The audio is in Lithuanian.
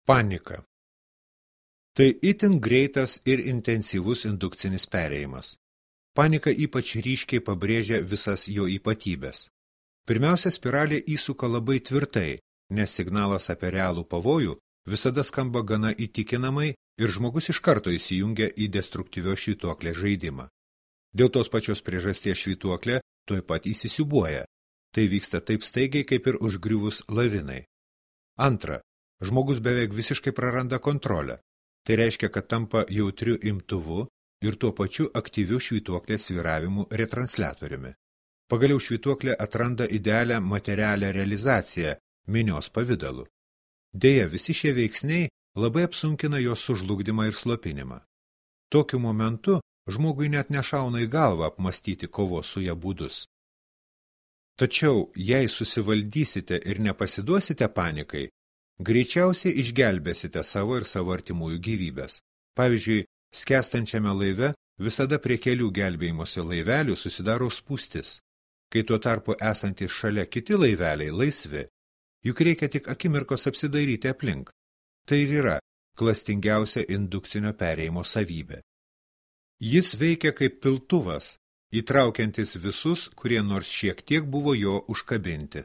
Panika. Tai itin greitas ir intensyvus indukcinis perėjimas. Panika ypač ryškiai pabrėžia visas jo ypatybės. Pirmiausia, spiralė įsuka labai tvirtai, nes signalas apie realų pavojų visada skamba gana įtikinamai ir žmogus iš karto įsijungia į destruktyvios švytuoklės žaidimą. Dėl tos pačios priežasties švytuoklė tuoj pat įsisiūbuoja. Tai vyksta taip staigiai, kaip ir užgriuvus lavinai. Antra, žmogus beveik visiškai praranda kontrolę. Tai reiškia, kad tampa jautriu imtuvu ir tuo pačiu aktyviu švytuoklės svyravimų retransliatoriumi. Pagaliau švytuoklė atranda idealią materialią realizaciją minios pavidalu. Deja, visi šie veiksniai labai apsunkina jos sužlugdymą ir slopinimą. Tokiu momentu žmogui net nešauna į galvą apmastyti kovos su ja būdus. Tačiau, jei susivaldysite ir nepasiduosite panikai, greičiausiai išgelbėsite savo ir savo artimųjų gyvybės. Pavyzdžiui, skęstančiame laive visada prie kelių gelbėjimosi laivelių susidaro spūstis, kai tuo tarpu esantys šalia kiti laiveliai laisvi, juk reikia tik akimirkos apsidairyti aplink. Tai ir yra klastingiausia indukcinio perėjimo savybė. Jis veikia kaip piltuvas, įtraukiantis visus, kurie nors šiek tiek buvo jo užkabinti.